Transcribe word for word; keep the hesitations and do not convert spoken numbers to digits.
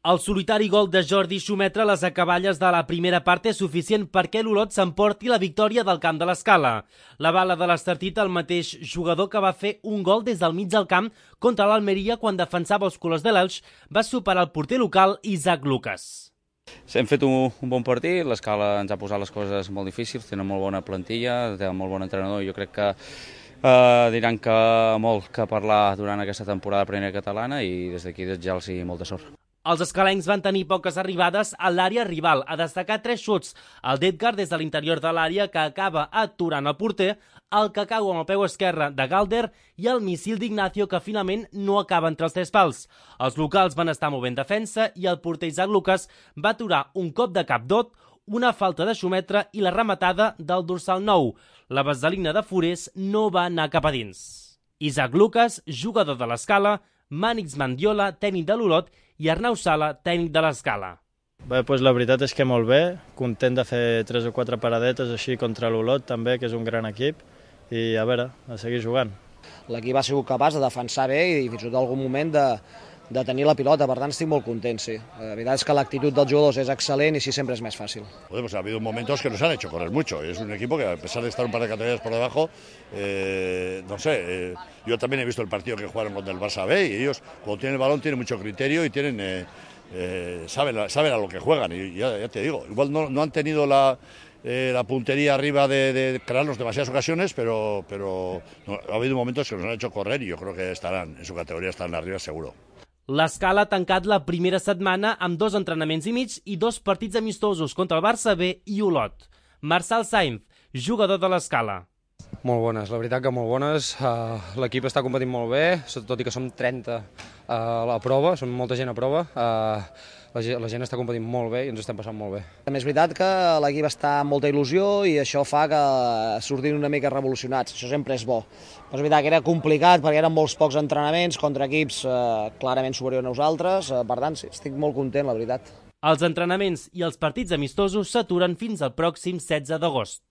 El solitari gol de Jordi Xumetra a les acaballes de la primera part és suficient perquè l'Olot s'emporti la victòria del camp de l'Escala. La bala de l'Estartit, el mateix jugador que va fer un gol des del mig del camp contra l'Almeria quan defensava els colors de l'Elx, va superar el porter local Isaac Lucas. Hem fet un, un bon partit, l'Escala ens ha posat les coses molt difícils, tenen molt bona plantilla, té un molt bon entrenador i jo crec que eh, diran que molt que parlar durant aquesta temporada de primera catalana i des d'aquí desitjar-los molta sort. Els escalencs van tenir poques arribades a l'àrea rival, a destacar tres xuts, el d'Edgar des de l'interior de l'àrea que acaba aturant el porter, el que cau amb el peu esquerre de Galder i el missil d'Ignacio que finalment no acaba entre els tres pals. Els locals van estar molt ben defensa i el porter Isaac Lucas va aturar un cop de cap d'Ot, una falta de Xumetra i la rematada del dorsal nou. La vaselina de Forés no va anar cap a dins. Isaac Lucas, jugador de l'Escala, Mànix Mandiola, tècnic de l'Olot, i Arnau Sala, tècnic de l'Escala. Bé, doncs la veritat és que molt bé, content de fer tres o quatre paradetes així contra l'Olot també, que és un gran equip, i a veure, a seguir jugant. L'equip ha sigut capaç de defensar bé i fins i tot algun moment de, de tenir la pilota, per tant estic molt content, sí. La veritat és que l'actitud dels jugadors és excel·lent i sí sempre és més fàcil. Pues ha habido momentos que nos han hecho correr mucho, es un equipo que a pesar de estar un par de categorías por debajo, eh, no sé, eh, yo también he visto el partido que jugaron contra el Barça B y ellos cuando tienen el balón tienen mucho criterio y tienen, eh, eh, saben, saben a lo que juegan y ya, ya te digo, igual no, no han tenido la... Eh, la puntería arriba de, de crearnos demasiadas ocasiones, pero, pero no, ha habido momentos que nos han hecho correr y yo creo que estarán en su categoría, estarán arriba seguro. L'Escala ha tancat la primera setmana amb dos entrenaments i mig i dos partits amistosos contra el Barça B i Olot. Marçal Sainz, jugador de l'Escala. Molt bones, la veritat que molt bones. Uh, L'equip està competint molt bé, tot i que som trenta uh, a la prova, som molta gent a prova. Uh, la, la gent està competint molt bé i ens estem passant molt bé. També és veritat que l'equip està amb molta il·lusió i això fa que sortim una mica revolucionats, això sempre és bo. Però és veritat que era complicat perquè eren molts pocs entrenaments contra equips uh, clarament superiors a nosaltres, uh, per tant sí, estic molt content, la veritat. Els entrenaments i els partits amistosos s'aturen fins al pròxim setze d'agost.